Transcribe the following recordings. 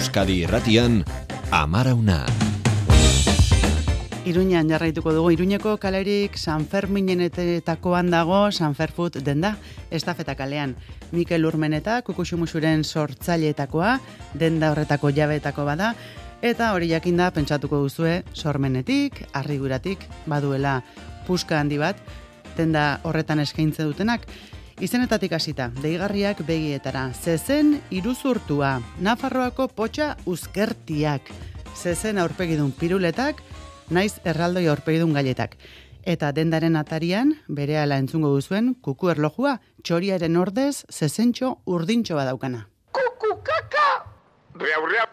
Euskadi Irratian, Amarauna. Iruñan jarraituko dugu. Iruñeko kalerik Sanferminenetakoan dago Sanferfood denda, estafeta kalean. Mikel Urmeneta, Kukuxumuxuren sortzaileetakoa, denda horretako jabeetako bada, eta hori jakinda pentsatuko duzue sormenetik, arriguratik, baduela puska handi bat, denda horretan eskaintze dutenak. Izenetatik hasita, deigarriak begietara, zezen iruzurtua, Nafarroako potxa uzkertiak, zezen aurpegidun piruletak, naiz erraldoi aurpegidun gailetak. Eta dendaren atarian, berehala entzungo duzuen, kuku erlojua, txoriaren ordez, zezentxo urdintxo badaukana. Kuku kaka! Riau, riau!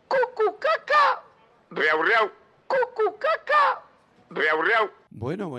Kuku kaka! Riau, riau! Kuku kaka! Riau, riau! Bueno,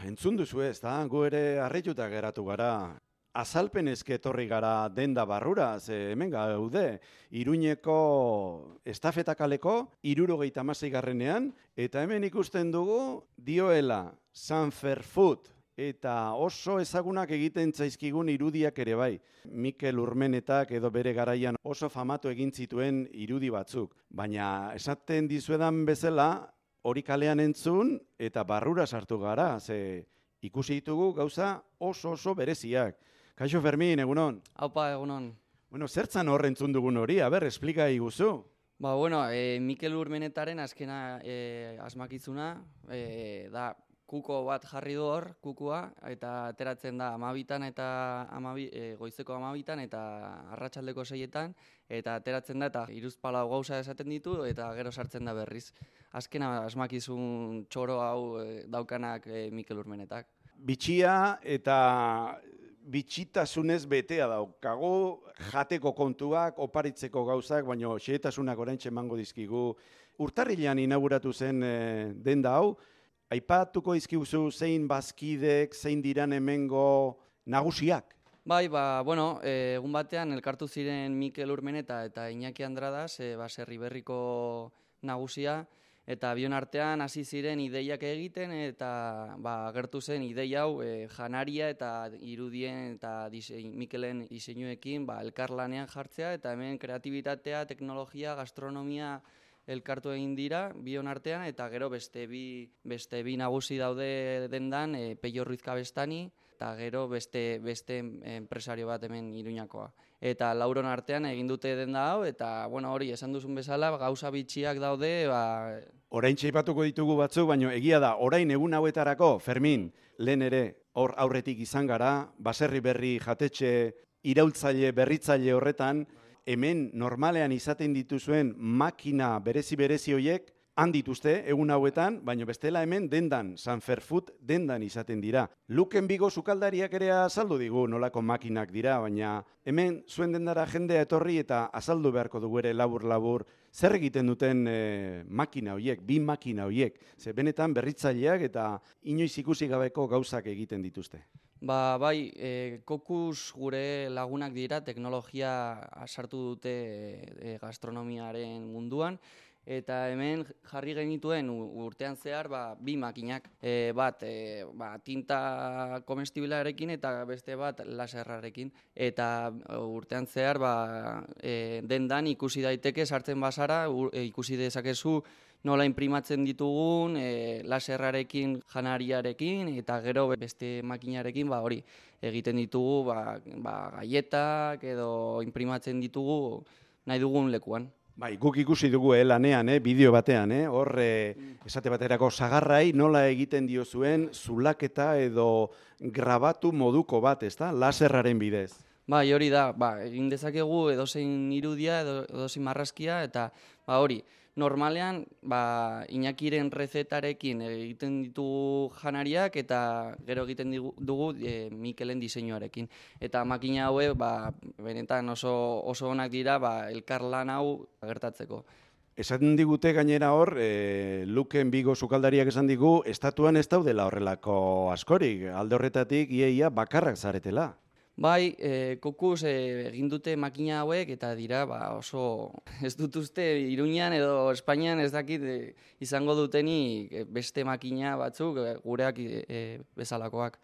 entzun duzu ez, da, gu ere harrituta geratu gara. Azalpen etorri gara denda barrura, ze hemen gaude, Iruñeko estafetakaleko 76garrenean, eta hemen ikusten dugu dioela Sanferfood, eta oso ezagunak egiten zaizkigun irudiak ere bai. Mikel Urmenetak edo bere garaian oso famatu egin zituen irudi batzuk, baina esaten dizuedan bezala, hori kalean entzun eta barrura sartu gara, ze ikusi ditugu gauza oso bereziak. Kaixo Fermin, egunon? Aupa, egunon. Bueno, zertzan hor entzun dugun hori, explika iguzu. Mikel Urmenetaren azkena asmakizuna, da kuko bat jarri du hor, kukua, eta ateratzen da goizeko 12 eta arratsaldeko 6, eta ateratzen da eta hiruzpalau gauza esaten ditu, eta gero sartzen da berriz. Azkena asmakizun txoro hau daukanak Mikel Urmenetak. Bitxia eta bitxitasunez betea daukagu, jateko kontuak, oparitzeko gauzak, baina xehetasunak oraintxe emango dizkigu. Urtarrilean inauguratu zen denda hau, aipatuko dizkiguzu zein bazkidek, zein diran hemengo nagusiak? Egun batean elkartu ziren Mikel Urmeneta eta Iñaki Andradas, baserri berriko nagusia, eta bion artean hasi ziren ideiak egiten, eta agertu zen ideia hau janaria eta irudien eta Mikelen diseinuekin elkarlanean jartzea, eta hemen kreatibitatea, teknologia, gastronomia elkartu egin dira bion artean, eta gero beste bi nagusi daude dendan, Peio Ruiz Kabestani, eta gero beste enpresario bat hemen Iruñakoa. Eta lauron artean egin dute denda hau, eta hori esan duzun bezala, gauza bitxiak daude. Oraintxe aipatuko ditugu batzuk, baina egia da, orain egun hauetarako, Fermin, lehen ere hor aurretik izan gara, baserri berri jatetxe iraultzaile, berritzaile horretan, hemen normalean izaten dituzuen makina berezi horiek, han dituzte egun hauetan, baina bestela hemen dendan, Sanferfood dendan izaten dira. Luken Bigo sukaldariak ere azaldu digu nolako makinak dira, baina hemen zuen dendara jendea etorri eta azaldu beharko dugu ere labur zer egiten duten makina horiek, bi makina horiek. Ze benetan berritzaileak eta inoiz ikusi gabeko gauzak egiten dituzte. Kokus gure lagunak dira, teknologia sartu dute gastronomiaren munduan, eta hemen jarri genituen urtean zehar bi makinak, bat tinta komestibilarekin eta beste bat laserrarekin, eta urtean zehar dendan ikusi daiteke sartzen bazara, ikusi dezakezu nola imprimatzen ditugun, laserrarekin, janariarekin, eta gero beste makinarekin hori egiten ditugu gaietak edo imprimatzen ditugu nahi dugun lekuan. Guk ikusi dugu lanean, bideo batean, hor esate baterako sagarrai nola egiten diozuen zulaketa edo grabatu moduko bat, ezta? Laserraren bidez. Hori da, egin dezakegu edozein irudia, edozein marrazkia, eta hori, normalean Iñakiren rezetarekin egiten ditugu janariak eta gero egiten dugu Mikelen diseinuarekin. Eta makina haue benetan oso onak dira elkarlan hau gertatzeko. Esaten digute gainera hor, Luken Bigo sukaldariak esan digu, estatuan ez daudela horrelako askorik, alde horretatik iaia bakarrak zaretela. Kokus egin dute makina hauek eta dira oso ez dut uste Iruñan edo Espainian ez dakit izango dutenik beste makina batzuk gureak bezalakoak.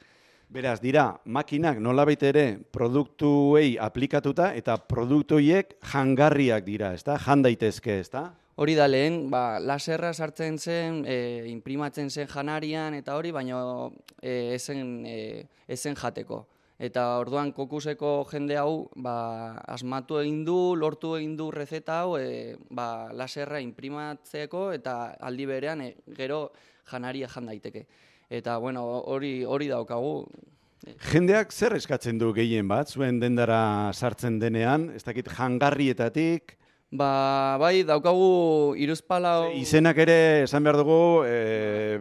Beraz, dira, makinak nolabait ere produktuei aplikatuta eta produktuiek jangarriak dira, ezta? Jan daitezke, ezta? Hori da lehen, laserra sartzen zen, imprimatzen zen janarian eta hori, baina ezen jateko. Eta orduan kokuseko jende hau asmatu egin du, lortu egin du rezeta hau laserra imprimatzeko eta aldi berean gero janaria jan daiteke. Eta bueno, hori daukagu. Jendeak zer eskatzen du gehien bat, zuen dendara sartzen denean, ez dakit jangarrietatik? Bai, daukagu hiruzpalau... Izenak ere, esan behar dugu,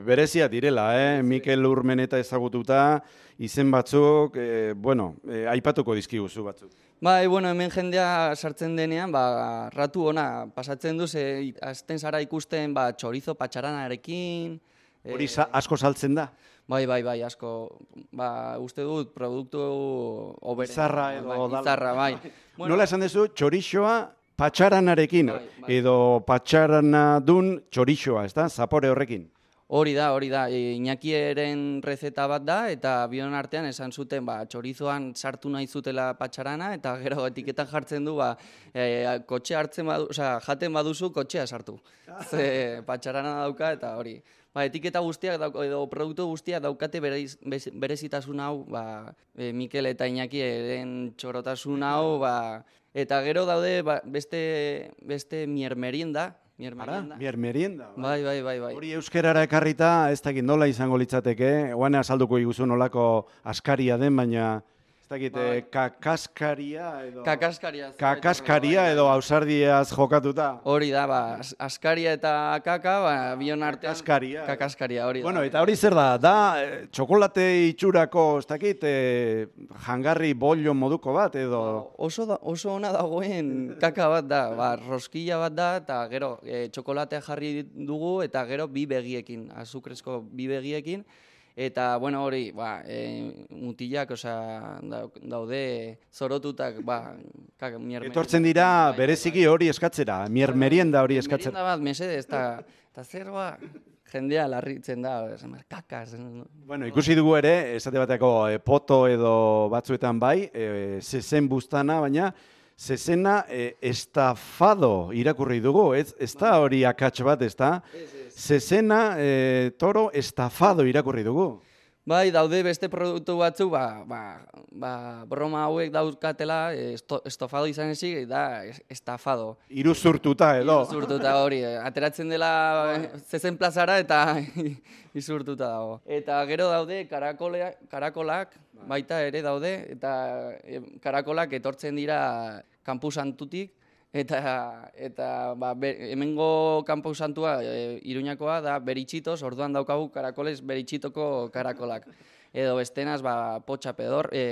berezia direla, Mikel Urmeneta ezagututa, izen batzuk, aipatuko dizkiguzu batzuk. Bai, hemen jendea sartzen denean, ratu ona pasatzen du, azten zara ikusten txorizo patxaranarekin... Hori asko saltzen da? Bai, asko. Uste dut, produktu obere. Izarra edo... Izarra, bai. Nola esan dezu, txorixoa patxaranarekin, edo patxaranadun txorixoa, ez da? Zapore horrekin. Hori da, Iñakieren rezeta bat da, eta bion artean esan zuten txorizoan sartu nahi zutela patxarana, eta gero etiketan jartzen du, kotxe hartzen jaten baduzu kotxea sartu. Ze patxarana dauka eta hori. Etiketa guztiak edo produktu guztiak daukate berezitasun hau, Mikel eta Iñakieren txorotasun hau, eta gero daude beste miermerienda. Miermerienda. Bai. Hori euskerara ekarrita, ez dakit nola izango litzateke, oan azalduko iguzu nolako askaria den, baina ez dakit kakaskaria edo ausardiaz jokatuta. Hori da, askaria eta kaka, bion artean kakaskaria hori da. Bueno, eta hori zer da, txokolate itxurako, ez dakit, jangarri bollo moduko bat, edo... Oso ona dagoen kaka bat da, roskilla bat da, eta gero txokolatea jarri dugu, eta gero bi begiekin, azukrezko bi begiekin, eta, hori, mutilak, daude zorotutak, miermerienda. Etortzen dira, bereziki hori eskatzera, miermerienda hori eskatzera. Miermerienda bat, mesedez, eta zer, jendea larritzen da, kakaz. Ikusi dugu ere, esate bateko poto edo batzuetan bai, zezen buztana, baina zezena estafado irakurri dugu, ez da hori akats bat, ez da? Zezena toro estafado irakurri dugu. Bai, daude beste produktu batzu, broma hauek dauzkatela, estofado izan ezik, da estafado. Iruzurtuta edo. Iruzurtuta hori, ateratzen dela zezen plazara eta izurtuta dago. Eta gero daude karakolak, baita ere daude, eta karakolak etortzen dira kanpusantutik, eta hemengo kanpusantua Iruñakoa da beritxitos, orduan daukagu karakoles beritxitoko karakolak. Edo bestenaz, potxa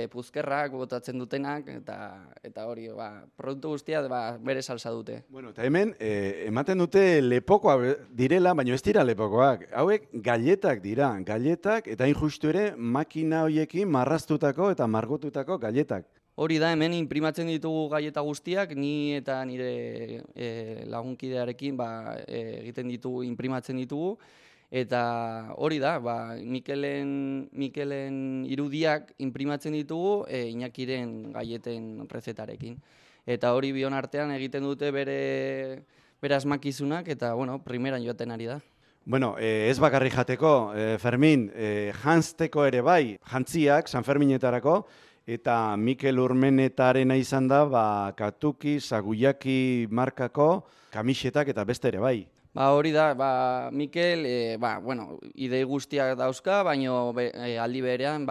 puzkerrak botatzen dutenak, eta hori, produktu guztia bere salsa dute. Eta hemen, ematen dute lepokoak direla, baina ez dira lepokoak. Hauek galletak dira, galletak, eta injustu ere makina horiekin marraztutako eta margotutako galletak. Hori da, hemen imprimatzen ditugu galleta guztiak, ni eta nire lagunkidearekin egiten ditugu, imprimatzen ditugu, eta hori da, Mikelen irudiak imprimatzen ditugu Iñakiren galleten rezetarekin. Eta hori bion artean egiten dute bere asmakizunak, eta, primeran joaten ari da. Ez bakarri jateko, Fermin, jantzteko ere bai, jantziak, San Ferminetarako, eta Mikel Urmenetarena izan da, katuki, saguyaki markako, kamisetak eta beste ere bai. Hori da, Mikel, idei guztiak dauzka, baina aldi berean,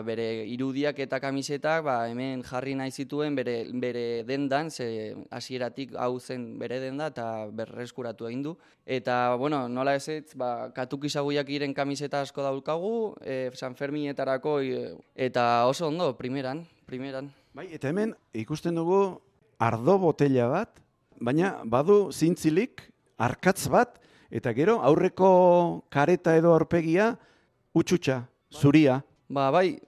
bere irudiak eta kamisetak hemen jarri nahi zituen bere dendan, ze hasieratik hau zen bere denda eta berreskuratu egin du. Eta, nola ezetz, katuki saguyakiren kamiseta asko daukagu, San Ferminetarako, eta oso ondo, primeran. Eta hemen ikusten dugu ardo botella bat, baina badu zintzilik, arkatz bat, eta gero aurreko kareta edo aurpegia utxutxa, zuria. Bai,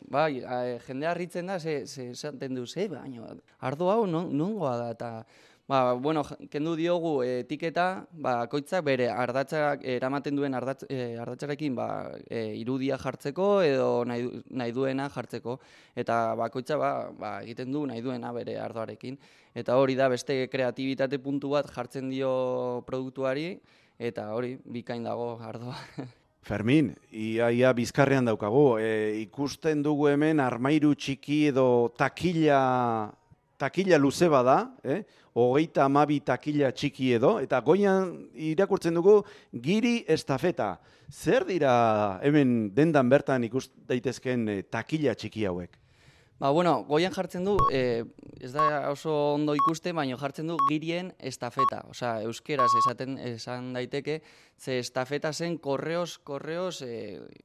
jendea harritzen da, esaten du, baina ardo hau nongoa da, eta Bueno, kendu diogu etiketa, bakoitzak bere ardatzak eramaten duen ardatzarekin irudia jartzeko edo nahi duena jartzeko. Eta bakoitza egiten du nahi duena bere ardoarekin. Eta hori da beste kreatibitate puntu bat jartzen dio produktuari, eta hori bikain dago ardoa. Fermin, ia bizkarrean daukagu, ikusten dugu hemen armairu txiki edo takila luze bada, 32 takila txiki edo, eta goian irakurtzen dugu giri estafeta. Zer dira hemen dendan bertan ikus daitezken takila txiki hauek? Goian jartzen du, ez da oso ondo ikuste, baina jartzen du girien estafeta. Osea, euskeraz esan daiteke, ze estafeta zen korreos,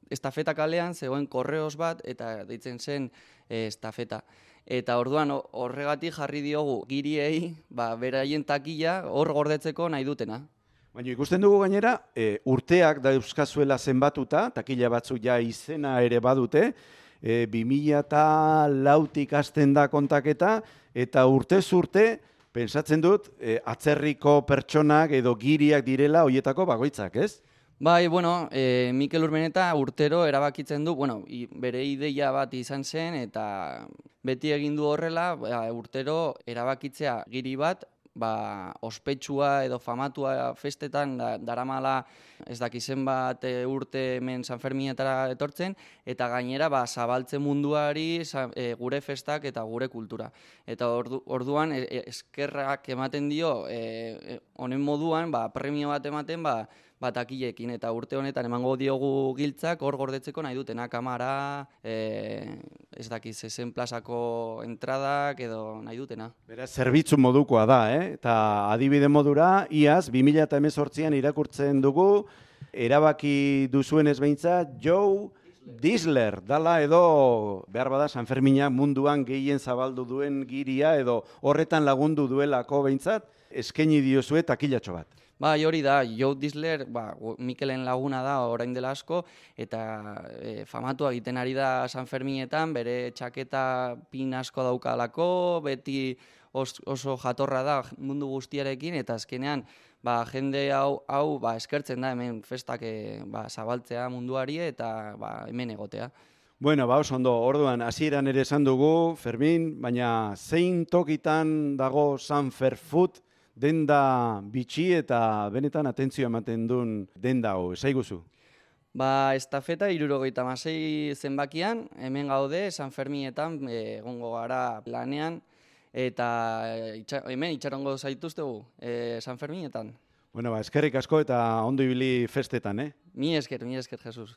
estafeta kalean zegoen korreos bat, eta deitzen zen estafeta. Eta orduan horregatik jarri diogu giriei, beraien takila hor gordetzeko nahi dutena. Baina ikusten dugu gainera, urteak dauzkazuela zenbatuta, takila batzuk ja izena ere badute, 2004tik hasten da kontaketa, eta urtez urte, pentsatzen dut, atzerriko pertsonak edo giriak direla hoietako bakoitzak, ez? Mikel Urmeneta urtero erabakitzen du, bere ideia bat izan zen, eta beti egin du horrela, urtero erabakitzea giri bat, ospetsua edo famatua festetan daramala ez dakizen bat urte hemen San Ferminetara etortzen, eta gainera zabaltzen munduari gure festak eta gure kultura. Eta orduan eskerrak ematen dio honen moduan premio bat ematen takilekin, eta urte honetan emango diogu giltzak hor gordetzeko nahi dutena, kamara, ez dakiz zen plazako entradak edo nahi dutena. Beraz, zerbitzu modukoa da, eta adibide modura, iaz, 2018an irakurtzen dugu, erabaki duzuenez behintzat, Joe Disler, dala edo, behar bada, San Fermina munduan gehien zabaldu duen giria, edo horretan lagundu duelako behintzat, eskaini diozue takilatxo bat. Hori da, Joe Disler, Mikelen laguna da orain dela asko, eta famatua egiten ari da San Ferminetan, bere txaketa pin asko daukalako, beti oso jatorra da mundu guztiarekin, eta azkenean jende hau eskertzen da hemen festak zabaltzea munduari eta hemen egotea. Oso ondo, orduan, hasieran ere esan dugu, Fermin, baina zein tokitan dago San Ferfood, denda bitxi eta benetan atentzio ematen duen denda hau, esaiguzu? Estafeta 76 zenbakian, hemen gaude, San Ferminetan, egongo gara lanean, eta hemen itxarongo zaituztegu, San Ferminetan. Eskerrik asko eta ondo ibili festetan, Mi esker, Jesus.